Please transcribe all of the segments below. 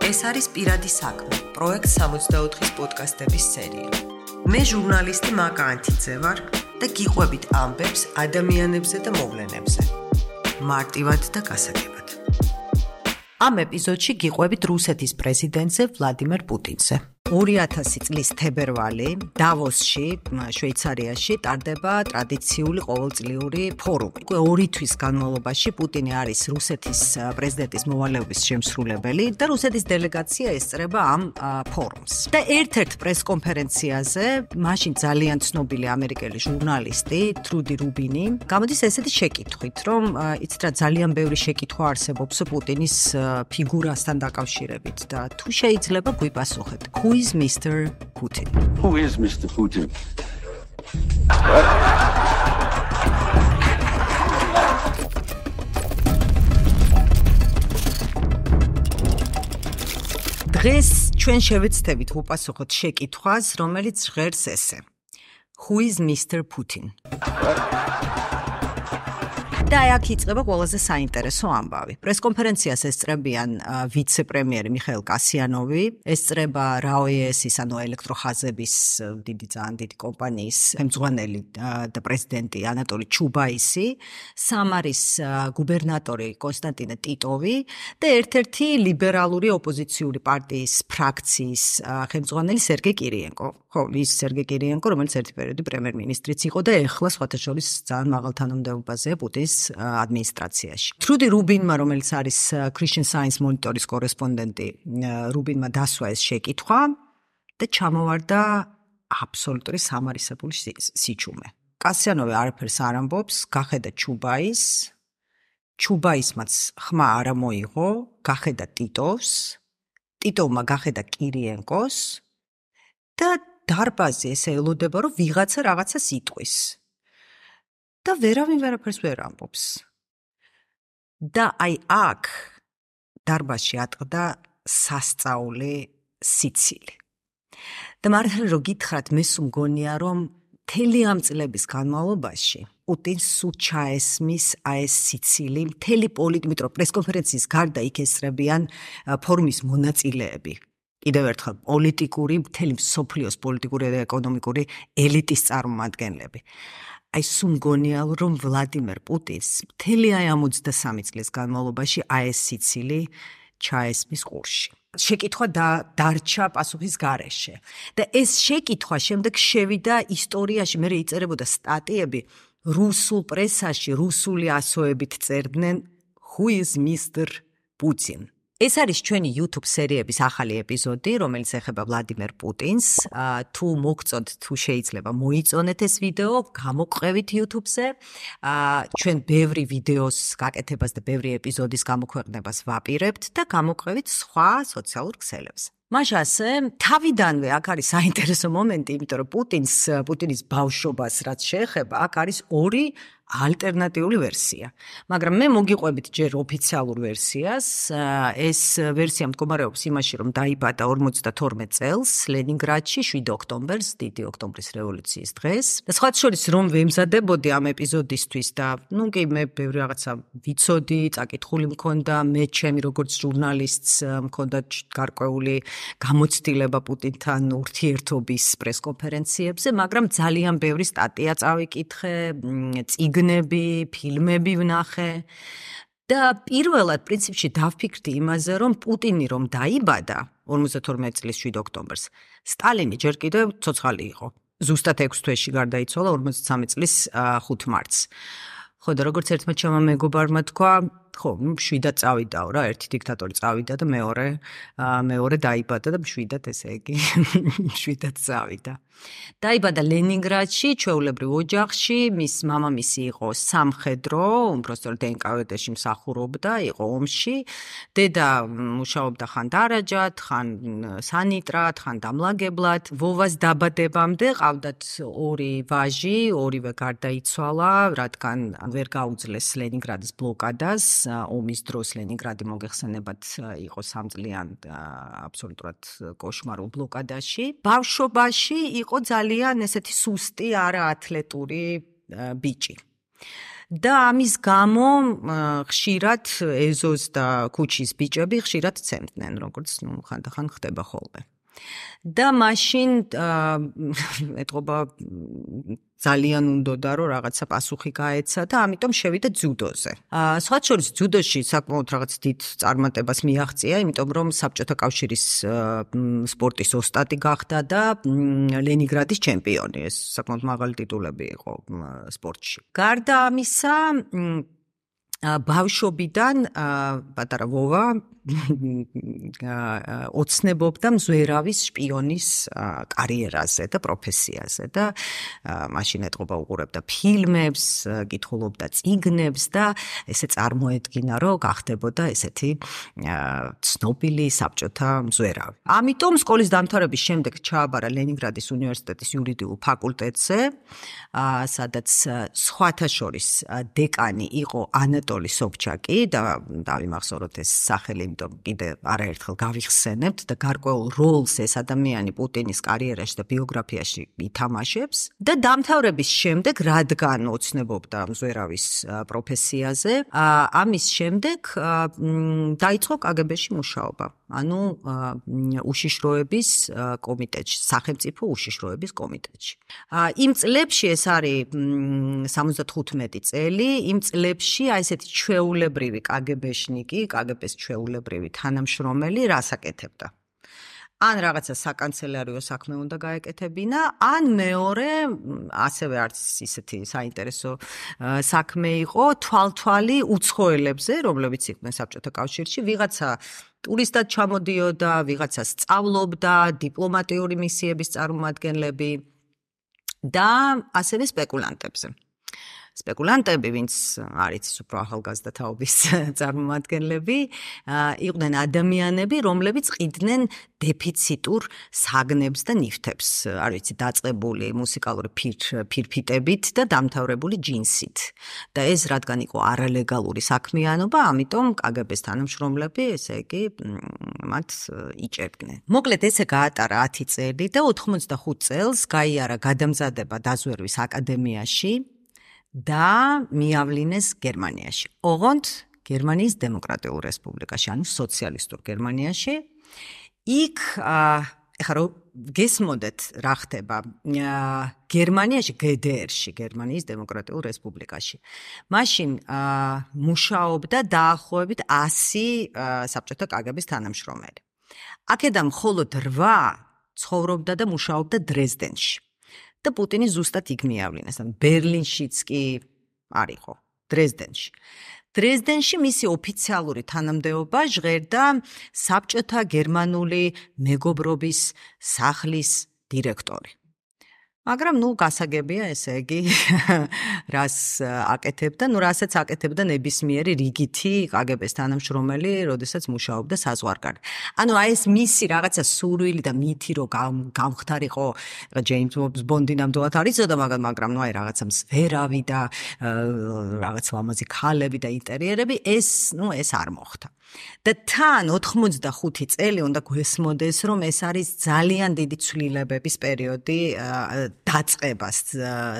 ეს არის პირადი საქმე, პროექტ 64-ის პოდკასტების სერია. მე ჟურნალისტი მაკა ანთიძე ვარ და გიყვებით ამბებს ადამიანებზე და მოვლენებზე. მარტივად და გასაგებად. ამ ეპიზოდში გიყვებით რუსეთის პრეზიდენტზე ვლადიმერ პუტინზე. 2000 წლის თებერვალი დავოსში, შვეიცარიაში ტარდება ტრადიციული ყოველწლიური ფორუმი. 2 თვის განმავლობაში პუტინი არის რუსეთის პრეზიდენტის მოვალეობის შემსრულებელი და რუსეთის დელეგაცია ესწრება ამ ფორუმს. და ერთ-ერთ პრესკონფერენციაზე მაშინ ძალიან ცნობილი ამერიკელი ჟურნალისტი ტრუდი რუბინი გამოდის ესეთი შეკითხვით, რომ იცით რა ძალიან ბევრი შეკითხვა არსებობს პუტინის ფიგურასთან დაკავშირებით და თუ შეიძლება გვიპასუხეთ. Who is Mr. Putin? Who is Mr. Putin? დღეს ჩვენ შევეცდებით უპასუხოთ შეკითხვას, რომელიც ჟღერს ესე. Who is Mr. Putin? და აქ იწყება ყველაზე საინტერესო ამბავი. პრესკონფერენციას ესწრებიან ვიცე-პრემიერი მიხაილ კასიანოვი, ესწრება RAO-ის, ანუ ელექტროხაზების ძალიან დიდი კომპანიის ხელმძღვანელი და პრეზიდენტი ანატოლი ჩუბაისი, სამარის გუბერნატორი კონსტანტინე ტიტოვი და ერთ-ერთი ლიბერალური ოპოზიციური პარტიის ფრაქციის ხელმძღვანელი სერგეი კირიენკო. ხო, ის სერგეი კირიენკო, რომელიც ერთი პერიოდი პრემიერ-მინისტრიც იყო და ეხლა სხვათა შორის ძალიან მაღალ თანამდებობაზეა პუტინის ადმინისტრაციაში. ტრუდი რუბინმა, რომელიც არის Christian Science Monitor-ის კორესპონდენტი, რუბინმა დასვა ეს შეკითხვა და ჩამოვარდა აბსოლუტური სამარისებული სიჩუმე. კასიანოვი არაფერს არ ამბობს, გახედა ჩუბაისმაც ხმა არ მოიღო, გახედა ტიტოვს, ტიტოვმა გახედა კირიენკოს და დარბაზი ესე ელოდება, რომ ვიღაცა რაღაცას იტყვის. და ვერავინ ვერაფერს ვერ ამბობს. და აი აქ დარბაზში ატყდა სასწაული სიცილი. და მართლა რო გითხრათ, მე სულ მგონია, რომ მთელი ამ წლების განმავლობაში პუტინს სულ ჩაესმის ეს სიცილი, მთელი პოლიტიკურ პრესკონფერენციის გარდა იქ ესწრებიან ფორუმის მონაწილეები. კიდევ ერთხელ პოლიტიკური, მთელი მსოფლიოს პოლიტიკური და ეკონომიკური ელიტის წარმომადგენლები. აი სულ მგონია, რომ ვლადიმერ პუტინს მთელი ამ 23 წლის განმავლობაში ეს სიცილი ჩაესმის ყურში. შეკითხვა დარჩა პასუხის გარეშე. და ეს შეკითხვა შემდეგ შევიდა ისტორიაში, მე იწერებოდა სტატიები რუსულ პრესაში, რუსული ასოებით წერდნენ Who is Mr. Putin? ეს არის ჩვენი YouTube სერიების ახალი ეპიზოდი, რომელიც ეხება ვლადიმერ პუტინს. თუ მოგწონთ, თუ შეიძლება მოიწონეთ ეს ვიდეო, გამოყევით YouTube-ზე. ჩვენ ბევრი ვიდეოს გაკეთებას და ბევრი ეპიზოდის გამოქვეყნებას ვაპირებთ და გამოყევით სხვა სოციალურ ქსელებზე. მაშასე, თავიდანვე აქ არის საინტერესო მომენტი, იმიტომ რომ პუტინის ბავშვობას რაც შეეხება, აქ არის 2 ალტერნატიული ვერსია. მაგრამ მე მოგიყვებით ჯერ ოფიციალურ ვერსიას. ეს ვერსია მდგომარეობს იმაში, რომ დაიბადა 52 წელს ლენინგრადში 7 ოქტომბერს, დიდი ოქტომბრის რევოლუციის დღეს. და სხვა შორის რომ ვემზადებოდი ამ ეპიზოდისთვის და კი მე ბევრი რაღაცა ვიცოდი, წაკითხული მქონდა, მე ჩემი როგორც ჟურნალისტს მქონდა გარკვეული გამოცდილება პუტინთან ურთიერთობის პრესკონფერენციებზე, მაგრამ ძალიან ბევრი სტატია წავიკითხე, წიგნები, ფილმები ვნახე და პირველად პრინციპში დავფიქრდი იმაზე, რომ პუტინი რომ დაიბადა 52 წლის 7 ოქტომბერს, სტალინი ჯერ კიდევ ცოცხალი იყო. ზუსტად 6 თვეში გარდაიცვალა 53 წლის 5 მარტს. ხო და როგორც ერთმა ჩემმა მეგობარმა თქვა, ხო, 7-დან წავიდაო რა, ერთი დიქტატორი წავიდა და მეორე დაიბადა და 7-დან ესე იგი 7-დან წავიდა. დაიბადა ლენინგრადში, ჩვეულებრივ ოჯახში, მის მამამისი იყო სამხედრო, უბრალოდ NKVD-ში მსახურობდა, იყო ომში. დედა მუშაობდა ხან დარაჯად, ხან სანიტრად, ხან დამლაგებლად. ვოვას დაბადებამდე ყავდათ 2 ვაჟი, 2-ვე გარდაიცვალა, რადგან ვერ გაუძლეს ლენინგრადის ბლოკადას. ომის დროს ლენინგრადი მოგეხსენებათ იყო 3 წლიან აბსოლუტურად კოშმარულ ბლოკადაში. ბავშვობაში იყო ძალიან ესეთი სუსტი, არაათლეტური ბიჭი. და ამის გამო ხშირად ეზოს და ქუჩის ბიჭები ხშირად ცემდნენ, როგორც ხანდახან ხდება ხოლმე. და მაშინ ეთყობა ძალიან უნდოდა რომ რაღაცა პასუხი გაეცა და ამიტომ შევიდა ძუდოზე. სხვა შორის ძუდოში საკმაოდ რაღაც დიდ წარმატებას მიაღწია, იმიტომ რომ საბჭოთა კავშირის სპორტის ოსტატი გახდა და ლენინგრადის ჩემპიონი. ეს საკმაოდ მაღალი ტიტულები იყო სპორტში. გარდა ამისა, ბავშვობიდან პატარა ვოვა ოცნებობდა მზვერავის შპიონის კარიერაზე და პროფესიაზე და მაშინ ეთყობა უყურებდა ფილმებს, კითხულობდა წიგნებს და ესე წარმოედგინა, რომ გახდებოდა ესეთი ცნობილი საბჭოთა მზვერავი. ამიტომ სკოლის დამთავრების შემდეგ ჩააბარა ლენინგრადის უნივერსიტეტის იურიდიულ ფაკულტეტზე, სადაც სხვათა შორის დეკანი იყო ანატოლი სობჩაკი და დავიმახსოვროთ ეს სახელი, იმიტომ კიდე არაერთხელ გავიხსენებთ და გარკვეულ როლს ეს ადამიანი პუტინის კარიერაში და ბიოგრაფიაში ითამაშებს და დამთავრების შემდეგ, რადგან ოცნებობდა მზვერავის პროფესიაზე, ამის შემდეგ დაიწყო კგბ-ში მუშაობა. ანუ უშიშროების კომიტეტში, სახელმწიფო უშიშროების კომიტეტში. იმ წლებში ეს არის 75 წელი, იმ წლებში აი ესეთი ჩვეულებრივი კგბ-შნიკი, კგბ-ს ჩვეულებრივი თანამშრომელი რას აკეთებდა? ან რაღაცა საკანცელერიო საქმე უნდა გაეკეთებინა, ან მეორე, ასევე არც ისეთი საინტერესო საქმე იყო, თვალთვალი უცხოელებზე, რომლებიც იყვნენ საბჭოთა კავშირში, ვიღაცა ტურისტად ჩამოდიოდა, ვიღაცა სწავლობდა, დიპლომატიური მისიების წარმომადგენლები და ასევე სპეკულანტებზე. სპეკულანტები, ვინც არის უფრო ახალგაზრდა თაობის წარმომადგენლები, იყვნენ ადამიანები, რომლებიც ყიდნენ დეფიციტურ საგნებს და ნივთებს, არ ვიცი, დაწყებული მუსიკალური ფირფიტებით და დამთავრებული ჯინსით. და ეს რადგან იყო არალეგალური საქმიანობა, ამიტომ კგბ-ს თანამშრომლები, ესე იგი, მათ იჭერდნენ. მოკლედ, ესე გაატარა 10 წელი და 85 წელს გაიარა გადამზადება დაზვერვის აკადემიაში და მიავლინეს გერმანიაში. ოღონდ გერმანიის დემოკრატიულ რესპუბლიკაში, ანუ სოციალისტურ გერმანიაში. იქ ეხლა რომ გესმოდეთ რა ხდება გერმანიაში, GDR-ში, გერმანიის დემოკრატიულ რესპუბლიკაში. მაშინ მუშაობდა დაახლოებით 100 საბჭოთა კგბ-ს თანამშრომელი. აქედან მხოლოდ 8 ცხოვრობდა და მუშაობდა დრეზდენში. და პუტინი ზუსტად იქ მიავლინეს, ან ბერლინშიც კი არ იყო, დრეზდენში. დრეზდენში მისი ოფიციალური თანამდებობა ჟღერდა საბჭოთა გერმანული მეგობრობის სახლის დირექტორი. მაგრამ გასაგებია ესე იგი რას აკეთებდა, რასაც აკეთებდა ნებისმიერი რიგითი კგბ-ს თანამშრომელი, როდესაც მუშაობდა საზღვარგარეთ. ანუ აი ეს მისი რაღაცა სურვილი და მითი რომ გამختارიყო ჯეიმს ბონდი ნამდვილად არ იცოდა, მაგრამ აი რაღაცა მსვერავი და რაღაც ლამაზი ქალები და ინტერიერები, ეს არ მოხდა. და თან 85 წელი უნდა გვესმოდეს, რომ ეს არის ძალიან დიდი ცვლილებების პერიოდი დაწყებას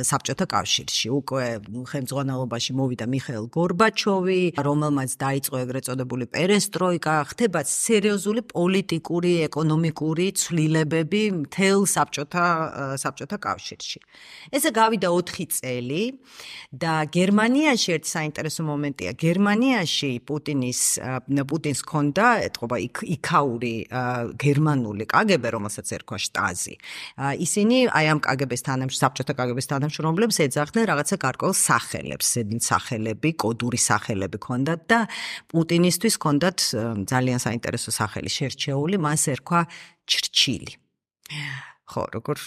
საბჭოთა კავშირში. უკვე ხელმძღვანელობაში მოვიდა მიხეილ გორბაჩოვი, რომელმაც დაიწყო ეგრეთ წოდებული პერესტროიკა, ხდება სერიოზული პოლიტიკური, ეკონომიკური ცვლილებები მთელ საბჭოთა კავშირში. ესე გავიდა 4 წელი და გერმანიაში ერთი საინტერესო მომენტია. გერმანიაში პუტინს ჰქონდა ეთყობა იქაური გერმანული კგბ, რომელსაც ერქვა შტაზი. ისინი აი ამ საბჭოთა კგბ-ს თანამშრომლებს ეძახდნენ რაღაცა გარკვეულ სახელებს, სახელები, კოდური სახელები ჰქონდათ და პუტინისთვის ჰქონდათ ძალიან საინტერესო სახელი შერჩეული, მას ერქვა ჩრჩილი. ხო, როგორ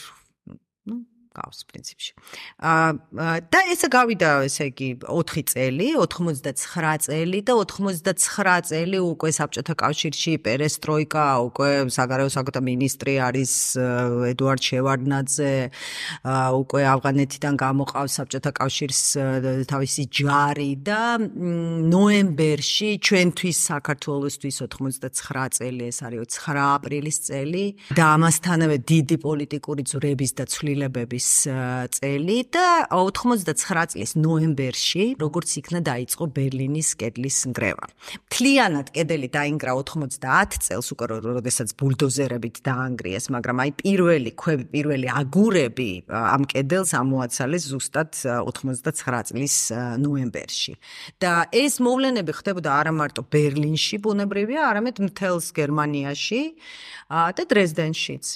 გავს პრინციპში. და ესე გავიდა, ესე იგი 4 წელი, 89 წელი და 89 წელი უკვე საბჭოთა კავშირში პერესტროიკა, უკვე საგარეო საქმეთა მინისტრი არის ედუარდ შევარდნაძე, უკვე ავღანეთიდან გამოყავს საბჭოთა კავშირის თავისი ჯარი და ნოემბერში ჩვენთვის საქართველოსთვის 89 წელი, ეს არის 9 აპრილის წელი და ამასთანავე დიდი პოლიტიკური ძვრების და ცვლილებების წელი და 99 წლის ნოემბერში, როგორც იქნა დაიწყო ბერლინის კედლის ნგრევა. მთლიანად კედელი დაინგრა 90 წელს უკვე როდესაც ბულდოზერებით დაანგრიეს, მაგრამ აი პირველი აგურები ამ კედელს ამოაცალეს ზუსტად 99 წლის ნოემბერში. და ეს მოვლენები ხდებოდა არა მარტო ბერლინში ბუნებრივია, არამედ მთელს გერმანიაში და დრეზდენშიც.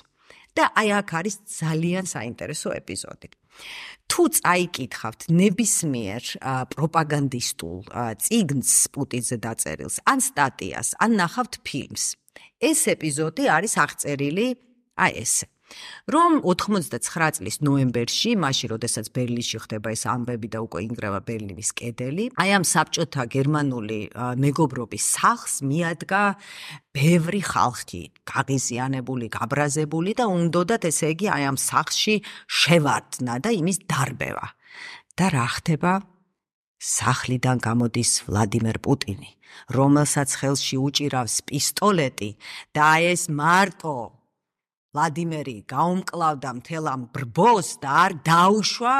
და აი აქ არის ძალიან საინტერესო ეპიზოდი. თუ წაიკითხავთ ნებისმიერ პროპაგანდისტულ წიგნს პუტინზე დაწერილს, ან სტატიას, ან ნახავთ ფილმს, ეს ეპიზოდი არის აღწერილი აი ესე. რომ 99 წლის ნოემბერში, მაშინ როდესაც ბერლინში ხდება ეს ამბები და უკვე ინგრევა ბერლინის კედელი, აი ამ საბჭოთა გერმანული მეგობრობის სახლს მიადგა ბევრი ხალხი, გაღიზიანებული, გაბრაზებული და უნდოდათ ესე იგი აი ამ სახლში შევარდნა და იმის დარბევა. და რა ხდება? სახლიდან გამოდის ვლადიმერ პუტინი, რომელსაც ხელში უჭირავს პისტოლეტი და ეს მარტო ვლადიმერი გაუმკლავდა მთელ ამ ბრბოს და არ დაუშვა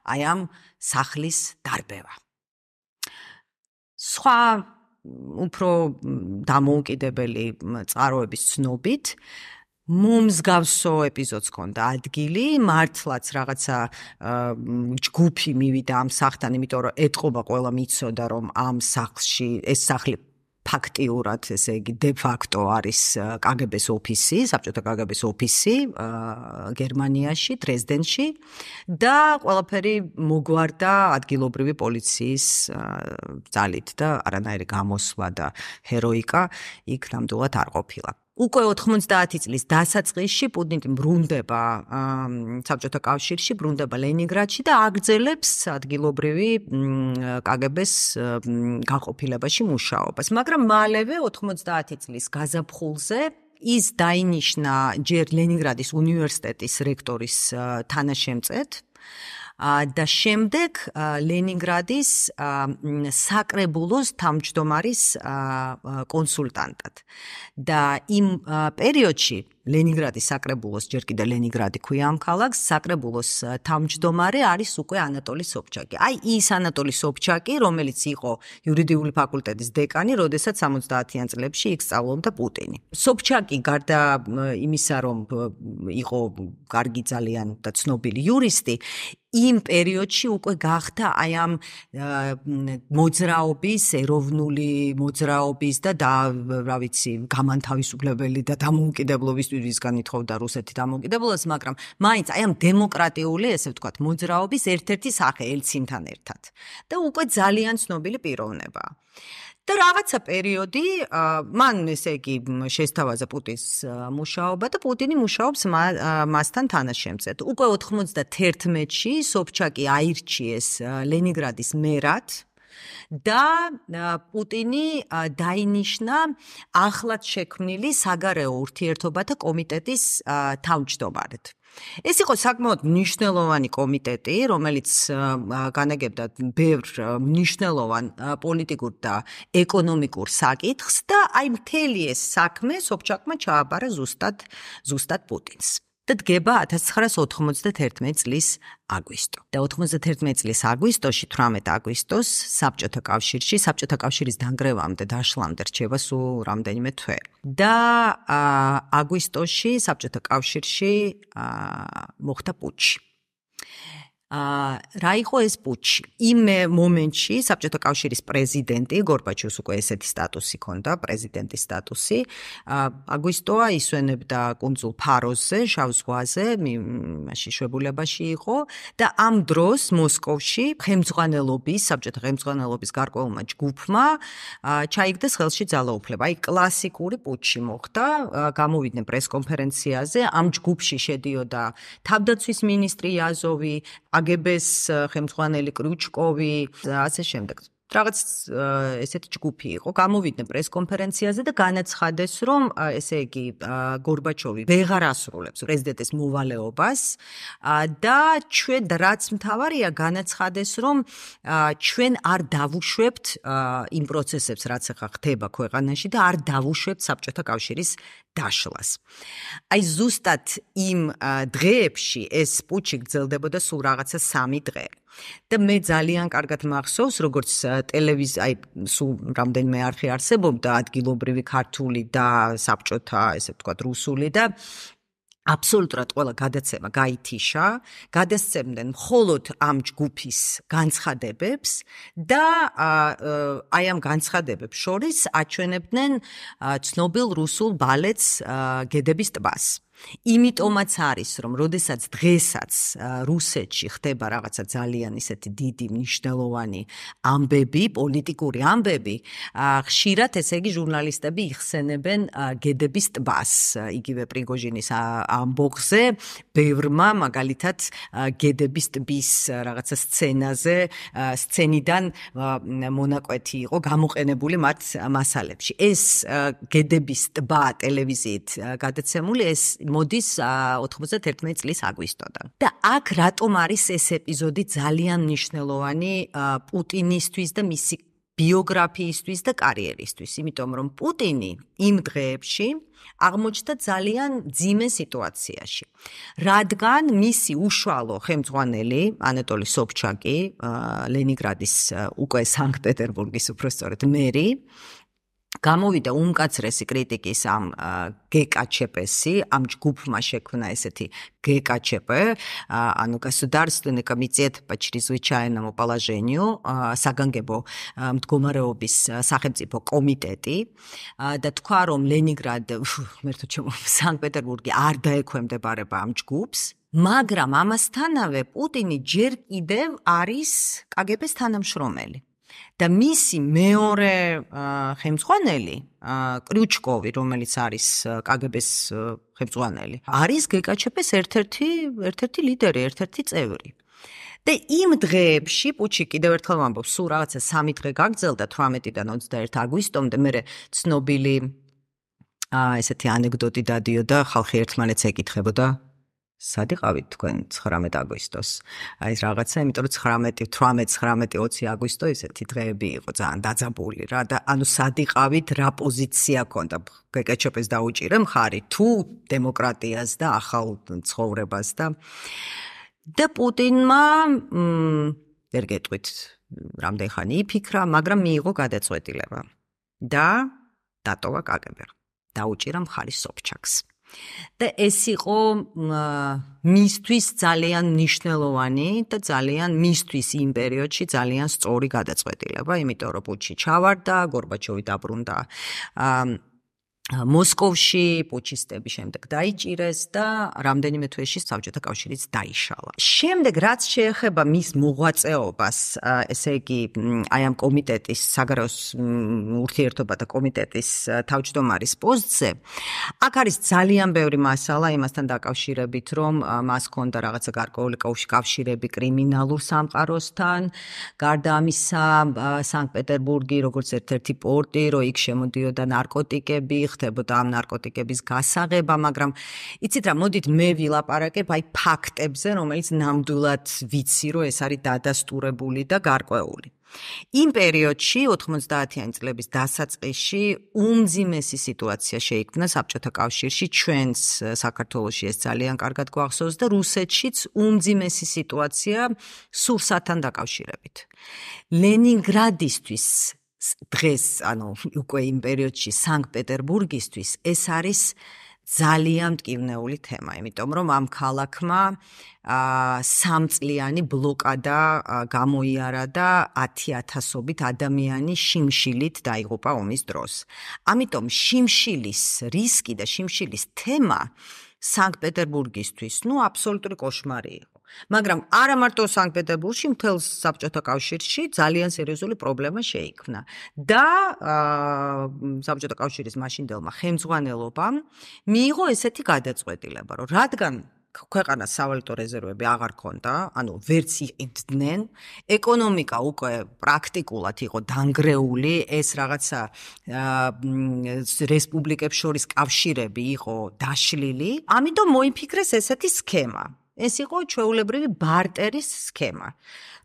აი ამ სახლის დარბევა. სხვა უფრო დამოუკიდებელი წყაროების ცნობით მომსგავსო ეპიზოდს ჰქონდა ადგილი, მართლაც რაღაცა ჯგუფი მივიდა ამ სახლთან, იმიტომ რომ ეტყობა ყველა მიცოდა რომ ამ სახლში ეს სახლი ფაქტიურად, ესე იგი, დე-ფაქტო არის კგბ-ს ოფისი, საბჭოთა კგბ-ს ოფისი გერმანიაში, დრეზდენში და ყველაფერი მოგვარდა ადგილობრივი პოლიციის ძალით და არანაირი გამოსვლა და ჰეროიკა იქ ნამდვილად არ ყოფილა. უკვე 90 წლის დასაწყისში პუტინი ბრუნდება საბჭოთა კავშირში, ბრუნდება ლენინგრადში და აგრძელებს ადგილობრივი კგბ-ს გაყოფილებაში მუშაობას. მაგრამ მალევე 90 წლის გაზაფხულზე ის დაინიშნა ჯერ ლენინგრადის უნივერსიტეტის რექტორის თანაშემწედ და შემდეგ ლენინგრადის საკრებულოს თავმჯდომარის კონსულტანტად. და იმ პერიოდში ლენინგრადის საკრებულოს, ჯერ კიდევ ლენინგრადი ქვია ამ ქალაქს, საკრებულოს თავმჯდომარე არის უკვე ანატოლი სობჩაკი. აი ის ანატოლი სობჩაკი, რომელიც იყო იურიდიული ფაკულტეტის დეკანი, როდესაც 70-იან წლებში იქ სწავლობდა პუტინი. სობჩაკი გარდა იმისა, რომ იყო კარგი ძალიან და ცნობილი იურისტი, იმ პერიოდში უკვე გახდა აი ამ მოძრაობის, ეროვნული მოძრაობის და რა ვიცი, გამანთავისუფლებელი და დამოუკიდებლობისგან ითხოვდა რუსეთი დამოუკიდებლობას, მაგრამ მაინც აი ამ დემოკრატიული, ესე ვთქვათ, მოძრაობის ერთ-ერთი სახე ელცინთან ერთად. და უკვე ძალიან ცნობილი პიროვნება. და რაღაცა პერიოდი მან ესე იგი შესთავაზა პუტინის მუშაობა და პუტინი მუშაობს მასთან თანაშემწედ. უკვე 91-ში სობჩაკი აირჩიეს ლენინგრადის მერად და პუტინი დაინიშნა ახლად შექმნილი საგარეო ურთიერთობათა კომიტეტის თავმჯდომარედ. ეს იყო საკმაოდ მნიშვნელოვანი კომიტეტი, რომელიც განაგებდა ბევრ მნიშვნელოვან პოლიტიკურ და ეკონომიკურ საკითხს და აი მთელი ეს საქმე სობჩაკმა ჩააბარა ზუსტად პუტინს. და დგება 1991 წლის აგვისტო. და 91 წლის აგვისტოში, 18 აგვისტოს საბჭოთა კავშირში, საბჭოთა კავშირის დანგრევამდე, დაშლამდე რჩება სულ რამდენიმე თვე. და აგვისტოში საბჭოთა კავშირში მოხდა პუჩი. რა იყო ეს პუჩი? იმ მომენტში საბჭოთა კავშირის პრეზიდენტი გორბაჩოვს უკვე ესეთი სტატუსი ჰქონდა, პრეზიდენტის სტატუსი. აგვისტოა ისვენებდა კუნძულ ფაროსზე, შავ ზღვაზე, მაშინ შვებულებაში იყო და ამ დროს მოსკოვში საბჭოთა ხელმძღვანელობის გარკვეულმა ჯგუფმა ჩაიგდეს ხელში ძალაუფლება. აი კლასიკური პუჩი მოხდა, გამოვიდნენ პრესკონფერენციაზე, ამ ჯგუფში შედიოდა თავდაცვის მინისტრი იაზოვი, კგბ-ს ხელმძღვანელი კრუჩკოვი და ასე შემდეგ. რაღაც ესეთი ჯგუფი იყო, გამოვიდნენ პრესკონფერენციაზე და განაცხადეს, რომ ესე იგი გორბაჩოვი ვეღარ ასრულებს პრეზიდენტის მოვალეობას და ჩვენ რაც მთავარია განაცხადეს, რომ ჩვენ არ დავუშვებთ იმ პროცესებს, რაც ახლა ხდება ქვეყანაში და არ დავუშვებთ საბჭოთა კავშირის დაშლას. აი ზუსტად იმ დღეებში ეს პუჩი გრძელდებოდა სულ რაღაცა 3 დღე. და მე ძალიან კარგად მახსოვს, როგორც აი სულ რამდენიმე არხი არსებობდა, ადგილობრივი ქართული და საბჭოთა, ესე ვთქვათ, რუსული და აბსოლუტურად ყველა გადაცემა გაითიშა, გადასცემდნენ მხოლოდ ამ ჯგუფის განცხადებებს და აი ამ განცხადებებს შორის აჩვენებდნენ ცნობილ რუსულ ბალეტს გედების ტბას. იმიტომაც არის, რომ როდესაც დღესაც რუსეთში ხდება რაღაცა ძალიან ისეთი დიდი მნიშვნელოვანი ამბები, პოლიტიკური ამბები, ხშირად ესე იგი ჟურნალისტები იხსენებენ გედების ტბას, იგივე პრიგოჟინის ამბოხზე, ბევრმა მაგალითად გედების ტბის რაღაცა სცენიდან მონაკვეთი იყო გამოყენებული მათ მასალებში. ეს გედების ტბა ტელევიზიით გადაცემული ეს მოდის 91 წლის აგვისტოდან. და აქ რატომ არის ეს ეპიზოდი ძალიან მნიშვნელოვანი პუტინისთვის და მისი ბიოგრაფიისთვის და კარიერისთვის? იმიტომ რომ პუტინი იმ დღეებში აღმოჩნდა ძალიან მძიმე სიტუაციაში. რადგან მისი უშუალო ხელმძღვანელი ანატოლი სობჩაკი, ლენინგრადის უკვე სანქტ-პეტერბურგის უпростоრად მერი გამოვიდა უმკაცრესი критიკის ამ ГКЧП-ში, ამ ჯგუფმა შექმნა ესეთი ГКЧП, ანუ Государственный комитет по чрезвычайному положению, საგანგებო მდგომარეობის სახელმწიფო კომიტეტი და თქვა რომ ლენინგრად, მერთო ჩემო, სანქტ-პეტერბურგი არ დაექვემდებარება ამ ჯგუფს, მაგრამ ამასთანავე პუტინი ჯერ კიდევ არის კგბ-ს თანამშრომელი. და მისი მეორე ხელმძღვანელი კრიუჩკოვი, რომელიც არის კგბ-ს ხელმძღვანელი, არის ГКЧП-ს ერთ-ერთი ლიდერი, ერთ-ერთი წევრი. და იმ დღეებში პუჩი კიდევ ერთხელ ვამბობ, სულ რაღაცა 3 დღე გაგრძელდა 18-დან 21 აგვისტომდე, მე ცნობილი ესეთი ანეკდოტი დადიოდა, ხალხი ერთმანეთს ეკითხებოდა სად იყავით თქვენ 19 აგვისტოს? აი რაღაცა, იმიტომ რომ 18, 20 აგვისტო ესეთი დღეები იყო ძალიან დაძაბული რა და ანუ სად იყავით, რა პოზიცია ქონდა ГКЧП-ს დაუჭირე მხარი თუ დემოკრატიას და ახალ ცხოვრებას და პუტინმა ვერ გეტყვით რამდენ ხანი იფიქრა, მაგრამ მიიღო გადაწყვეტილება და დატოვა კგბ. დაუჭირა მხარი სობჩაკს. და ეს იყო მისთვის ძალიან მნიშვნელოვანი და ძალიან მისთვის იმ პერიოდში ძალიან სწორი გადაწყვეტილება, იმიტომ რომ პუჩი ჩავარდა, გორბაჩოვი დაბრუნდა მოსკოვში, პუჩისტები შემდეგ დაიჭირეს და რამდენიმე თვეში საბჭოთა კავშირიც დაიშალა. შემდეგ რაც შეეხება მის მოღვაწეობას, ესე იგი, აი ამ კომიტეტის, საგარეო ურთიერთობათა კომიტეტის თავმჯდომარის პოსტზე, აქ არის ძალიან ბევრი მასალა იმასთან დაკავშირებით, რომ მას ჰქონდა რაღაცა გარკვეული კავშირები კრიმინალურ სამყაროსთან, გარდა ამისა, სანქტ-პეტერბურგი, როგორც ერთ-ერთი პორტი, რომ იქ შემოდიოდა ნარკოტიკები, ხდებოდა ამ ნარკოტიკების გასაღება, მაგრამ იცით რა, მოდით მე ვილაპარაკებ აი ფაქტებზე, რომელიც ნამდვილად ვიცი, რომ ეს არის დადასტურებული და გარკვეული. იმ პერიოდში 90-იანი წლების დასაწყისში უმძიმესი სიტუაცია შეიქმნა საბჭოთა კავშირში, ჩვენს საქართველოში ეს ძალიან კარგად გვახსოვს და რუსეთშიც უმძიმესი სიტუაცია სურსათთან დაკავშირებით. ლენინგრადისთვის დღეს, ანუ უკვე იმ პერიოდში სანქტ-პეტერბურგისთვის ეს არის ძალიან მტკივნეული თემა, იმიტომ რომ ამ ქალაქმა 3 წლიანი ბლოკადა გამოიარა და 10,000-ობით ადამიანი შიმშილით დაიღუპა ომის დროს. ამიტომ შიმშილის რისკი და შიმშილის თემა სანქტ-პეტერბურგისთვის, აბსოლუტური კოშმარი იყო. მაგრამ არა მარტო სანქტ-პეტერბურგში, მთელ საბჭოთა კავშირში ძალიან სერიოზული პრობლემა შეიქმნა. და საბჭოთა კავშირის მაშინდელმა ხელმძღვანელობამ მიიღო ესეთი გადაწყვეტილება, რომ რადგან ქვეყანას სავალუტო რეზერვები აღარ ქონდა, ანუ ვერც იყიდნენ, ეკონომიკა უკვე პრაქტიკულად იყო დანგრეული, ეს რაღაცა რესპუბლიკებს შორის კავშირები იყო დაშლილი, ამიტომ მოიფიქრეს ესეთი სქემა. ეს იყო ჩვეულებრივი ბარტერის სქემა,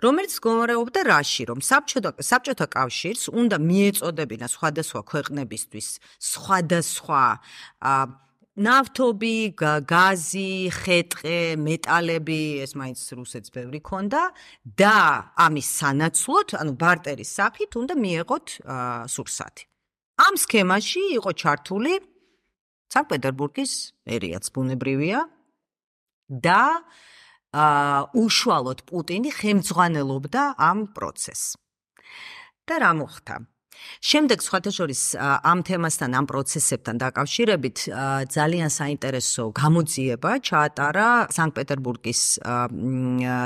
რომელიც მდგომარეობდა რაში, რომ საბჭოთა კავშირს უნდა მიეწოდებინა სხვადასხვა ქვეყნებისთვის სხვადასხვა ნავთობი, გაზი, ხეტყე, მეტალები, ეს მაინც რუსეთს ბევრი ქონდა და ამის სანაცვლოდ, ანუ ბარტერის სახით უნდა მიეღოთ სურსათი. ამ სქემაში იყო ჩართული სანქტ-პეტერბურგის მერიაც ბუნებრივია და უშუალოდ პუტინი ხელმძღვანელობდა ამ პროცესს. და რა მოხდა? შემდეგ სხვათა შორის ამ თემასთან, ამ პროცესებთან დაკავშირებით ძალიან საინტერესო გამოძიება ჩაატარა სანქტ-პეტერბურგის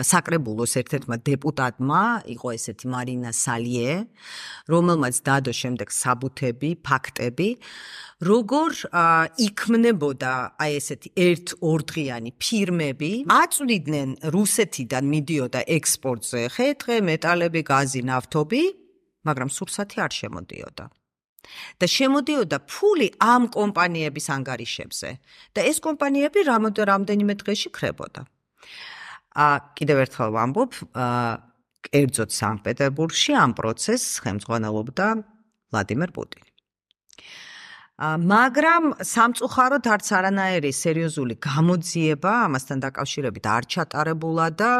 საკრებულოს ერთ-ერთმა დეპუტატმა, იყო ესეთი მარინა სალიე, რომელმაც დადო შემდეგ საბუთები, ფაქტები, როგორ იქმნებოდა აი ესეთი ერთ-ორდღიანი ფირმები, აწვდიდნენ რუსეთიდან მიდიოდა ექსპორტზე ხეტყე, მეტალები, გაზი, ნავთობი, მაგრამ სურსათი არ შემოდიოდა. და შემოდიოდა ფული ამ კომპანიების ანგარიშებზე და ეს კომპანიები რამდენიმე დღეში ქრებოდა. კიდევ ერთხელ ვამბობ, კერძოდ სანქტ-პეტერბურგში ამ პროცესს ხელმძღვანელობდა ვლადიმერ პუტინი. მაგრამ სამწუხაროდ არც არანაირი სერიოზული გამოძიება ამასთან დაკავშირებით არ ჩატარებულა და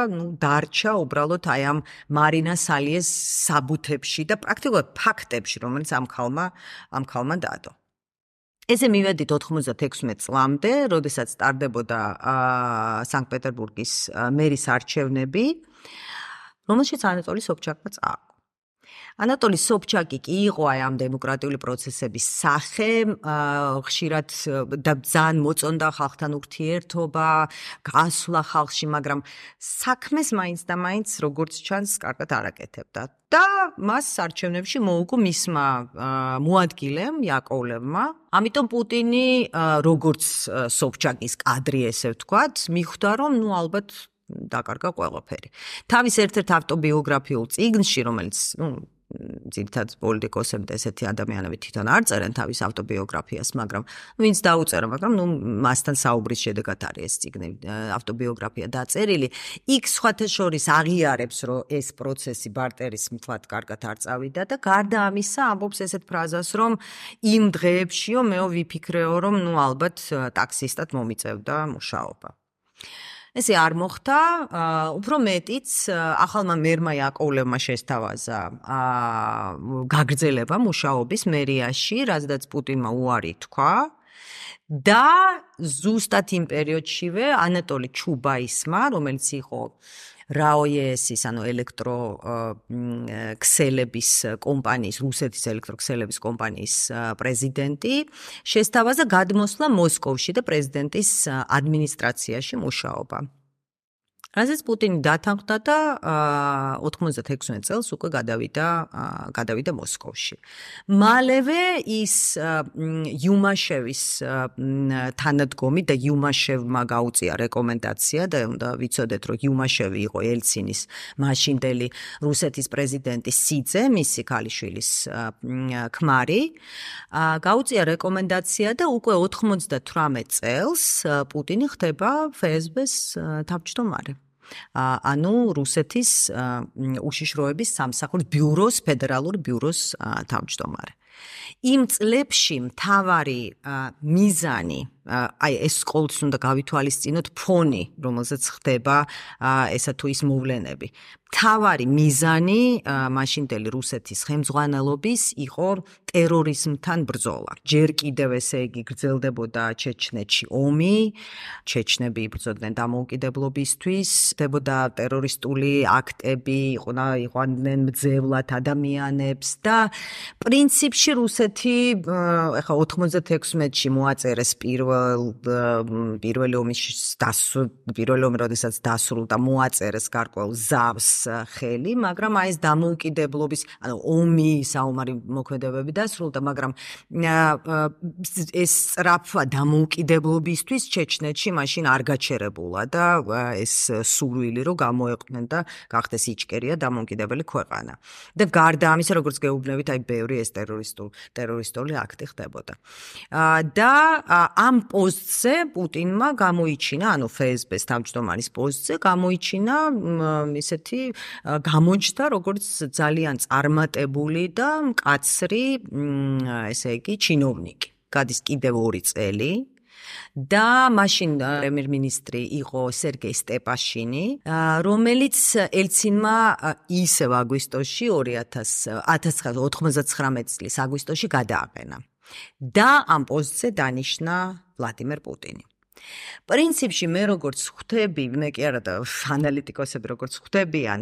დარჩა უბრალოდ აი ამ მარინა სალიეს საბუთებში და პრაქტიკულად ფაქტებში, რომელიც ამ ქალმა დადო. ესე მივედით 96 წლამდე, როდესაც ტარდებოდა სანქტ-პეტერბურგის მერის არჩევნები, რომელშიც ანატოლი სობჩაკმა წააგო. ანატოლი სობჩაკი კი იყო აი ამ დემოკრატიული პროცესების სახე, ხშირად და ძალიან მოწონდა ხალხთან ურთიერთობა, გასვლა ხალხში, მაგრამ საქმეს მაინც და მაინც როგორც ჩანს, კარგად არ აკეთებდა. და მას არჩევნებში მოუგო მისმა მოადგილემ იაკოვლევმა. ამიტომ პუტინი, როგორც სობჩაკის კადრი, ესე ვთქვათ, მიხვდა, რომ ალბათ დაკარგა ყველაფერი. თავის ერთ-ერთ ავტობიოგრაფიულ წიგნში, რომელიც, ძირითადად პოლიტიკოსები და ესეთი ადამიანები თვითონ არ წერენ თავის ავტობიოგრაფიას, მაგრამ ვინც დაუწერა, მაგრამ მასთან საუბრის შედეგად არის ეს წიგნი, ავტობიოგრაფია დაწერილი. იქ სხვათა შორის აღიარებს, რომ ეს პროცესი ბარტერის მთლად კარგად არ წავიდა და გარდა ამისა ამბობს ესეთ ფრაზას, რომ იმ დღეებშიო მეო ვიფიქრეო, რომ ალბათ ტაქსისტად მომიწევდა მუშაობა. ესე არ მოხდა, უფრო მეტიც ახალმა მერმა იაკოვლევმა შესთავაზა გაგრძელება მუშაობის მერიაში, რაზედაც პუტინმა უარი თქვა და ზუსტად იმ პერიოდშივე ანატოლი ჩუბაისმა, რომელიც იყო რაოიესის, ანუ ელექტროქსელების კომპანიის, რუსეთის ელექტროქსელების კომპანიის პრეზიდენტი, შესთავაზა გადმოსვლა მოსკოვში და პრეზიდენტის ადმინისტრაციაში მუშაობა. რაზეც პუტინი დათანხმდა და 96 წელს უკვე გადავიდა მოსკოვში. მალევე ის იუმაშევის თანადგომი და იუმაშევმა გაუწია რეკომენდაცია და უნდა ვიცოდეთ, რომ იუმაშევი იყო ელცინის მაშინდელი რუსეთის პრეზიდენტი სიძე, მისი ქალიშვილის ქმარი, გაუწია რეკომენდაცია და უკვე 98 წელს პუტინი ხდება FSB-ს თავმჯდომარე. ანუ რუსეთის უშიშროების სამსახურის ბიუროს, ფედერალური ბიუროს თავმჯდომარე. იმ წლებში მთავარი მიზანი, აი ეს ყოველთვის უნდა გავითვალისწინოთ ფონი, რომელზეც ხდება ესა თუ ის მოვლენები. მთავარი მიზანი მაშინდელი რუსეთის ხელმძღვანელობის იყო ტერორიზმთან ბრძოლა. ჯერ კიდევ ესე იგი გრძელდებოდა ჩეჩნეთში ომი, ჩეჩნები იბრძოდნენ დამოუკიდებლობისთვის, ხდებოდა ტერორისტული აქტები, იყვანდნენ მძევლად ადამიანებს და პრინციპში რუსეთი ახლა 96-ში მოაწერეს პირველ პირველი ომი როდესაც დასრულდა მოაწერეს გარკვეულ ზავს ხელი, მაგრამ აი ეს დამოუკიდებლობის, ანუ ომი საომარი მოქმედებები დასრულდა, მაგრამ ეს სწრაფვა დამოუკიდებლობისთვის ჩეჩნეთში მაშინ არ გაჩერებულა და ეს სურვილი რომ გამოეყვნენ და გახდეს იჭკერია დამოუკიდებელი ქვეყანა. და გარდა ამისა, როგორც გეუბნებით, აი ბევრი ეს ტერორისტული აქტი ხდებოდა. და ამ პოსტზე პუტინმა გამოიჩინა, ანუ FSB-ს თავმჯდომარის პოსტზე გამოიჩინა ისეთი გამოჩნდა, როგორც ძალიან წარმატებული და მკაცრი, ესე იგი, ჩინოვნიკი. გადის კიდევ 2 წელი. და მაშინ პრემიერ-მინისტრი იყო სერგეი სტეპაშინი, რომელიც ელცინმა ისევ აგვისტოში 1999 წლის აგვისტოში გადააყენა. და ამ პოსტზე დანიშნა ვლადიმერ პუტინი. პრინციპში მე როგორც ხვდები, მე კი არა და ანალიტიკოსები როგორც ხვდებიან,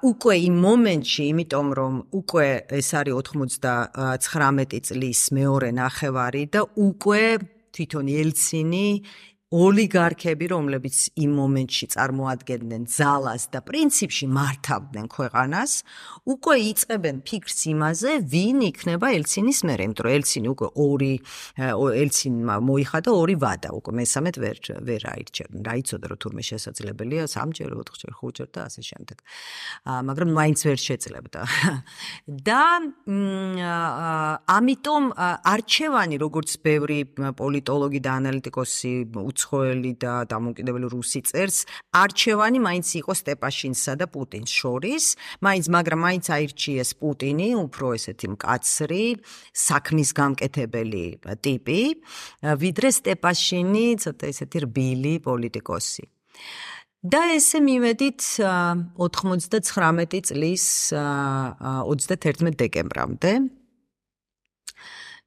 უკვე იმ მომენტში, იმიტომ რომ უკვე ეს არის 99 წლის მეორე ნახევარი და უკვე თვითონ ელცინი ოლიგარქები, რომლებიც იმ მომენტში წარმოადგენდნენ ძალას და პრინციპში მართავდნენ ქვეყანას, უკვე იწყებენ ფიქრს იმაზე, ვინ იქნება ელცინის მერე, იმიტომ რომ ელცინი უკვე ელცინმა მოიხადა 2 ვადა, უკვე მესამედ ვერ აირჩევდნენ. რა იცოდა რომ თურმე შესაძლებელია 3-ჯერ, 4-ჯერ, 5-ჯერ და ასე შემდეგ. მაგრამ მაინც ვერ შეძლებდა. და ამიტომ არჩევანი, როგორც ბევრი პოლიტოლოგი და ანალიტიკოსი უცხოელი და დამოუკიდებელი რუსი წერს, არჩევანი მაინც იყო სტეპაშინსა და პუტინს შორის, მაგრამ მაინც აირჩიეს პუტინი, უფრო ესეთი მკაცრი, საქმის გამკეთებელი ტიპი, ვიდრე სტეპაშინი, ცოტა ესეთი რბილი პოლიტიკოსი. და ესე მივედით 99 წლის 31 დეკემბრამდე.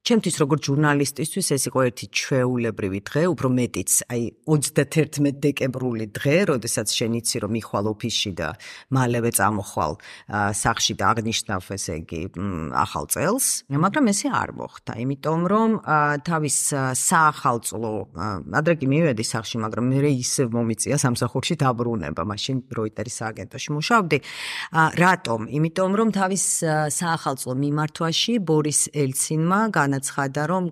ჩემთვის როგორც ჟურნალისტისთვის ეს იყო ერთი ჩვეულებრივი დღე, უფრო მეტიც, აი 31 დეკემბრული დღე, როდესაც შენ იცი რომ მიხვალ ოფისში და მალევე წამოხვალ სახლში და აღნიშნავ ესე იგი ახალ წელს, მაგრამ ესე არ მოხდა, იმიტომ რომ თავის საახალწლო, ადრე კი მივედი სახლში, მაგრამ მე ისევ მომიწია სამსახურში დაბრუნება, მაშინ როიტერის სააგენტოში მუშაობდი. რატომ? იმიტომ რომ თავის საახალწლო მიმართვაში ბორის ელცინმა განაცხადა, რომ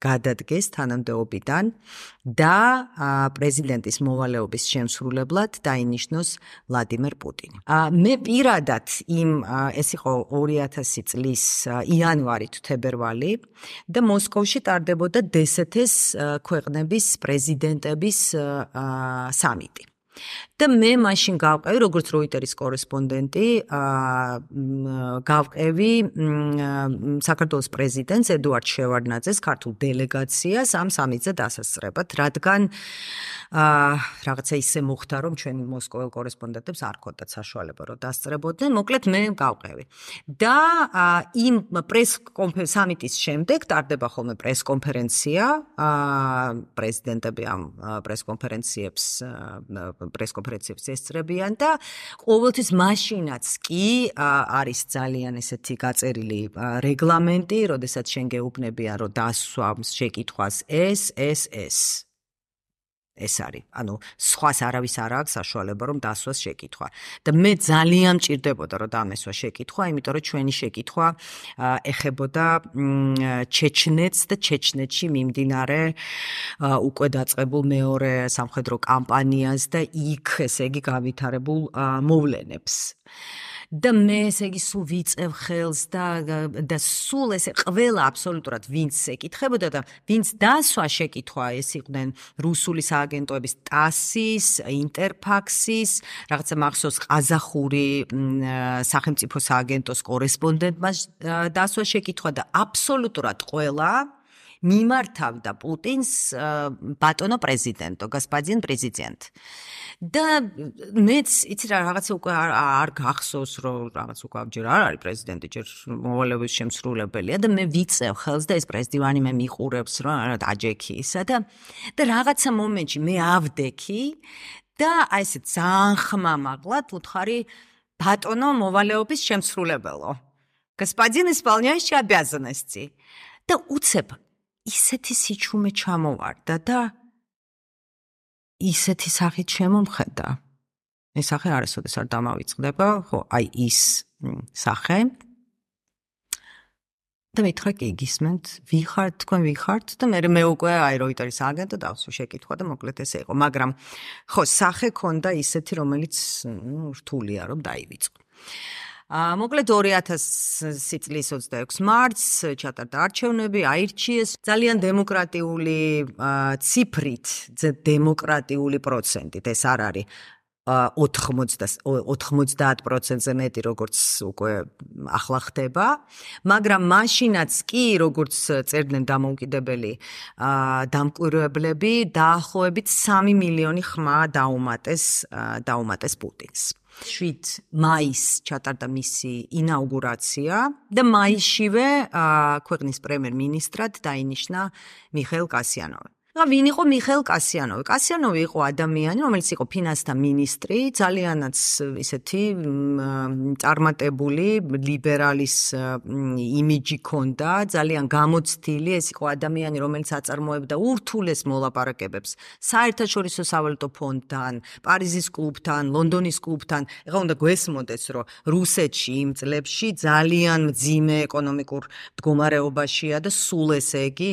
გადადგეს თანამდებობიდან და პრეზიდენტის მოვალეობის შემსრულებლად დაინიშნოს ვლადიმერ პუტინი. მე პირადად ეს იყო 2000 წლის იანვარი თუ თებერვალი და მოსკოვში ტარდებოდა დსთ-ს ქვეყნების პრეზიდენტების სამიტი. და მე მაშინ გავყევი, როგორც როიტერის კორესპონდენტი, გავყევი საქართველოს პრეზიდენტს ედუარდ შევარდნაძეს ქართულ დელეგაციას ამ სამიტზე დასასწრებად, რადგან რაღაცა ისე მოხდა, რომ ჩვენი მოსკოველ კორესპონდენტებს არ ჰქონდათ საშუალება, რომ დასწრებოდნენ, მოკლედ მე გავყევი. და იმ სამიტის შემდეგ ტარდება ხოლმე პრესკონფერენცია, პრეზიდენტები ამ პრესკონფერენციებს ესწრებიან და ყოველთვის მაშინაც კი არის ძალიან ესეთი გაწერილი რეგლამენტი, როდესაც შენ გეუბნებიან, რომ დასვამს შეკითხვას ეს არის. ანუ სხვას არავის არ აქვს საშუალება, რომ დასვას შეკითხვა. და მე ძალიან მჭირდებოდა, რომ დამესვა შეკითხვა, იმიტომ რომ ჩვენი შეკითხვა ეხებოდა ჩეჩნეთს და ჩეჩნეთში მიმდინარე უკვე დაწყებულ მეორე სამხედრო კამპანიას და იქ, ესე იგი, გავითარებულ მოვლენებს. და მე ესე იგი სულ ვიწევ ხელს და სულ ესე ყველა აბსოლუტურად ვინც ეკითხებოდა და ვინც დასვა შეკითხვა, ეს იყვნენ რუსული სააგენტოების ტასის, ინტერფაქსის, რაღაცა მახსოვს ყაზახური სახელმწიფო სააგენტოს კორესპონდენტმა დასვა შეკითხვა და აბსოლუტურად ყველა მიმართავდა პუტინს ბატონო პრეზიდენტო, გასპაძიან პრეზიდენტ. და მეც იცი რა რაღაცა უკვე არ გახსოვს რომ რაღაც უკვე ჯერ არ არის პრეზიდენტი, ჯერ მოვალეობის შემსრულებელია და მე ვიწევ ხელს და ეს პრეზიდენტი მე მიყურებს რომ არა დაჯექი ისა და რაღაცა მომენტში მე ავდექი და აი ესე ძალიან ხმამაღლად ვუთხარი ბატონო მოვალეობის შემსრულებელო. Господин исполняющий обязанности. და უცებ ისეთი სიჩუმე ჩამოვარდა და ისეთი სახით შემომხედა. ეს სახე არასოდეს არ დამავიწყდება, ხო, აი ის სახე. და მითხრა კი გისმენთ, თქვენ ვიხართ და მე უკვე აი როიტერის აგენტო დავსვი შეკითხვა და მოკლედ ესე იყო, მაგრამ ხო, სახე ქონდა ისეთი, რომელიც რთულია რომ დაივიწყო. მოკლედ 2000 წლის 26 მარტს ჩატარდა არჩევნები, აირჩიეს ძალიან დემოკრატიული ციფრით, დემოკრატიული პროცენტით, ეს არ არის 90%-ზე მეტი, როგორც უკვე ახლა ხდება, მაგრამ მაშინაც კი, როგორც წერდნენ დამოუკიდებელი დამკვირვებლები, დაახლოებით 3 მილიონი ხმა დაუმატეს პუტინს. 7 მაისს ჩატარდა მისი ინაუგურაცია და მაისშივე ქვეყნის პრემიერ-მინისტრად დაინიშნა მიხეილ კასიანოვი. ვინ იყო მიხეილ კასიანოვი? კასიანოვი იყო ადამიანი, რომელიც იყო ფინანსთა მინისტრი, ძალიანაც ისეთი წარმატებული ლიბერალის იმიჯი ჰქონდა, ძალიან გამოცდილი, ეს იყო ადამიანი, რომელიც აწარმოებდა ურთულეს მოლაპარაკებებს საერთაშორისო სავალუტო ფონდთან, პარიზის კლუბთან, ლონდონის კლუბთან. ეხლა უნდა გვესმოდეს, რომ რუსეთში იმ წლებში ძალიან მძიმე ეკონომიკურ მდგომარეობაშია და სულ ესე იგი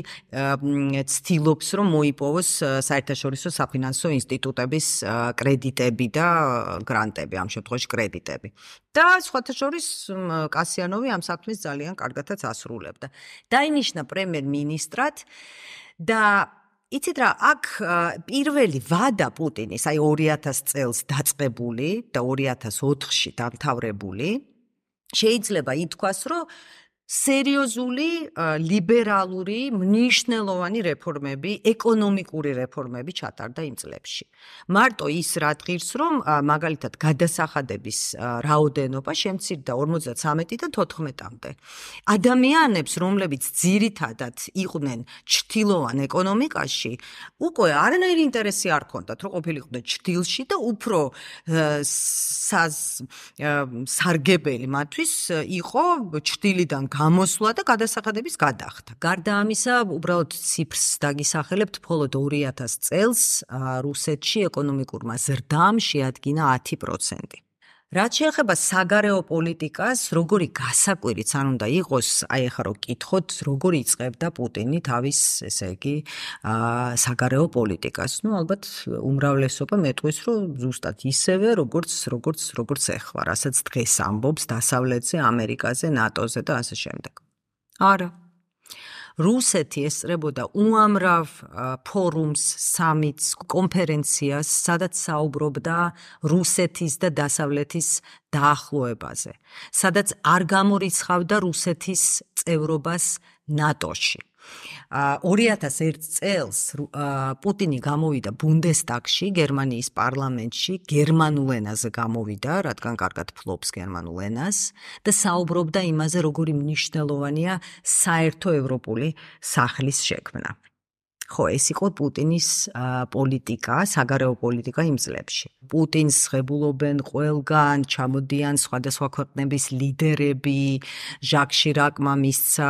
ცდილობს, რომ მოიპოვოს საერთაშორისო საფინანსო ინსტიტუტების კრედიტები და გრანტები, ამ შემთხვევაში კრედიტები. და სხვათა შორის კასიანოვი ამ საქმეს ძალიან კარგადაც ასრულებდა. დაინიშნა პრემიერ-მინისტრად და იცით რა, აქ პირველი ვადა პუტინის, აი 2000 წელს დაწყებული და 2004-ში დამთავრებული, შეიძლება ითქვას, რომ სერიოზული ლიბერალური მნიშვნელოვანი რეფორმები, ეკონომიკური რეფორმები ჩატარდა იმ წლებში. მარტო ის რა ღირს, რომ მაგალითად გადასახადების რაოდენობა შემცირდა 53-დან 14-მდე. ადამიანებს, რომლებიც ძირითადად იყვნენ ჩრდილოვან ეკონომიკაში, უკვე არანაირი ინტერესი არ ჰქონდათ, რომ ყოფილიყვნენ ჩრდილში და უფრო სარგებელი მათთვის იყო ჩრდილიდან გამოსვლა და გადასახადების გადახდა. გარდა ამისა, უბრალოდ ციფრს დაგისახელებთ, მხოლოდ 2000 წელს რუსეთში ეკონომიკურმა ზრდამ შეადგინა 10%. რაც შეეხება საგარეო პოლიტიკას, როგორი გასაკვირიც არ უნდა იყოს, აი ახლა რო გკითხოთ, როგორი იწყებდა პუტინი თავის, ესე იგი, საგარეო პოლიტიკას. ალბათ უმრავლესობა მეტყვის, რომ ზუსტად ისევე, როგორც ეხლა, რასაც დღეს ამბობს დასავლეთზე, ამერიკაზე, ნატოზე და ასე შემდეგ. არა. რუსეთი ესწრებოდა უამრავ ფორუმს, სამიტს, კონფერენციას, სადაც საუბრობდა რუსეთის და დასავლეთის დაახლოებაზე, სადაც არ გამორიცხავდა რუსეთის წევრობას ნატოში. 2001 წელს პუტინი გამოვიდა ბუნდესტაგში, გერმანიის პარლამენტში, გერმანულ ენაზე გამოვიდა, რადგან კარგად ფლობს გერმანულ ენას და საუბრობდა იმაზე, როგორი მნიშვნელოვანია საერთო ევროპული სახლის შექმნა. ხო, ეს იყო პუტინის პოლიტიკა, საგარეო პოლიტიკა იმ წლებში. პუტინს ღებულობენ ყველგან, ჩამოდიან სხვადასხვა ქვეყნების ლიდერები, ჟაკ შირაკმა მისცა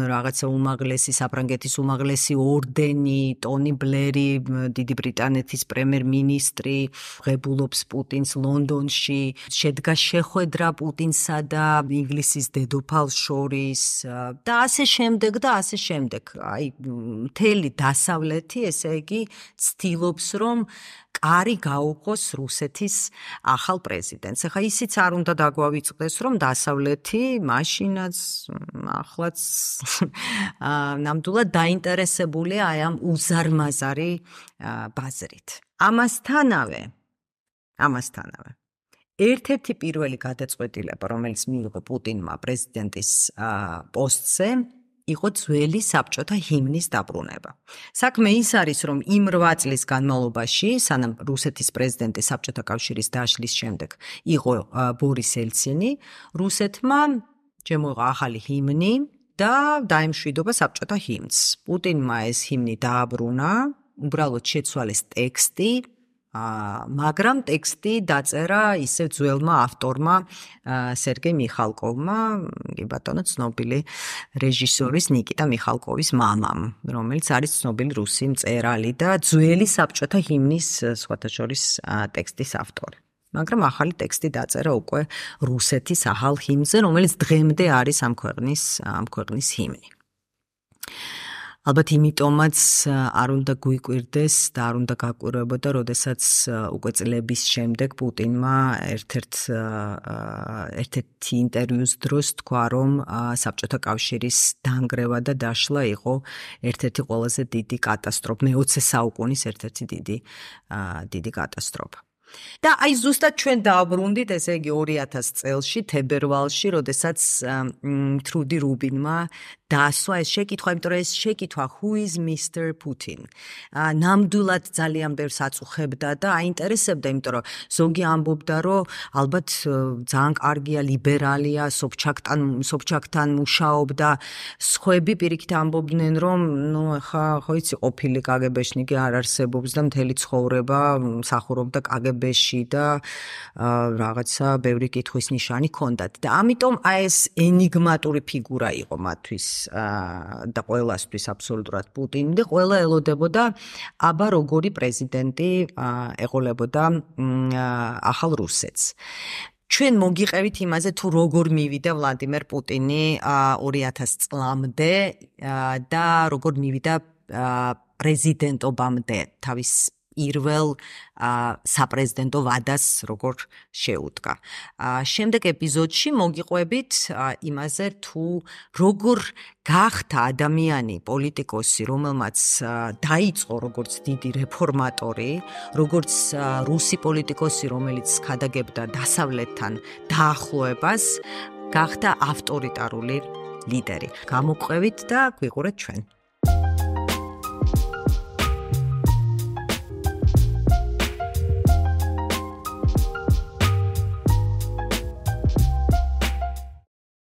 რაღაცა უმაღლესი, საფრანგეთის უმაღლესი ორდენი, ტონი ბლერი, დიდი ბრიტანეთის პრემიერ-მინისტრი, ღებულობს პუტინს ლონდონში, შედგა შეხვედრა პუტინსა და ინგლისის დედოფალს შორის და ასე შემდეგ და ასე შემდეგ. აი, მთელი დასავლეთი, ესე იგი, ცდილობს, რომ კარი გაუყოს რუსეთის ახალ პრეზიდენტს. ახლა ისიც არ უნდა დაგვავიწყდეს, რომ დასავლეთი მაშინაც, ახლაც ნამდვილად დაინტერესებულია აი ამ უზარმაზარი ბაზრით. ამასთანავე, ერთ-ერთი პირველი გადაწყვეტილება, რომელიც მიიღო პუტინმა პრეზიდენტის პოსტზე, იყო ძველი საბჭოთა ჰიმნის დაბრუნება. საქმე ის არის, რომ იმ 8 წლის განმავლობაში, სანამ რუსეთის პრეზიდენტი საბჭოთა კავშირის დაშლის შემდეგ იყო ბორის ელცინი, რუსეთმა შემოიღო ახალი ჰიმნი და დაემშვიდობა საბჭოთა ჰიმნს. პუტინმა ეს ჰიმნი დააბრუნა, უბრალოდ შეცვალეს ტექსტი, მაგრამ ტექსტი დაწერა ისევ ძველმა ავტორმა სერგეი მიხალკოვმა, კი ბატონო, ცნობილი რეჟისორის ნიკიტა მიხალკოვის მამამ, რომელიც არის ცნობილი რუსი მწერალი და ძველი საბჭოთა ჰიმნის სხვათა შორის ტექსტის ავტორი. მაგრამ ახალი ტექსტი დაწერა უკვე რუსეთის ახალ ჰიმნზე, რომელიც დღემდე არის ამ ქვეყნის ჰიმნი. ალბათ იმიტომაც არ უნდა გვიკვირდეს და არ უნდა გაკვირვებოდა, როდესაც უკვე წლების შემდეგ პუტინმა ერთ-ერთი ინტერვიუს დროს თქვა, რომ საბჭოთა კავშირის დანგრევა და დაშლა იყო ერთ-ერთი ყველაზე დიდი კატასტროფა, მე-20 საუკუნის ერთ-ერთი დიდი კატასტროფა. და აი ზუსტად ჩვენ დავბრუნდით, ესე იგი 2000 წელში, თებერვალში, როდესაც თრუდი რუბინმა დაასვა ეს შეკითხვა, იმიტომ რომ ეს შეკითხვა who is Mr. Putin? ნამდვილად ძალიან ბევრს აწუხებდა და აინტერესებდა, იმიტომ რომ ზოგი ამბობდა, რომ ალბათ ძალიან კარგია, ლიბერალია, სობჩაკთან მუშაობდა, სხვები პირიქით ამბობდნენ, რომ ახლა ხო იცი, ყოფილი კგბ-შნიკი არ არსებობს და მთელი ცხოვრება მსახურობდა კგბ-ში და რაღაცა ბევრი კითხვის ნიშანი ჰქონდათ. და ამიტომ აი ეს ენიგმატური ფიგურა იყო მათთვის და ყველასთვის აბსოლუტურად პუტინი და ყველა ელოდებოდა აბა როგორი პრეზიდენტი ეყოლებოდა ახალ რუსეთს. ჩვენ მოგიყევით იმაზე თუ როგორ მივიდა ვლადიმერ პუტინი 2000 წლამდე და როგორ მივიდა პრეზიდენტობამდე თავის პირველ საპრეზიდენტო ვადას როგორ შეუდგა. შემდეგ ეპიზოდში მოგიყვებით იმაზე თუ როგორ გახდა ადამიანი, პოლიტიკოსი, რომელმაც დაიწყო როგორც დიდი რეფორმატორი, როგორც რუსი პოლიტიკოსი, რომელიც ქადაგებდა დასავლეთთან დაახლოებას, გახდა ავტორიტარული ლიდერი. გამოყვებით და გვიყურეთ ჩვენ.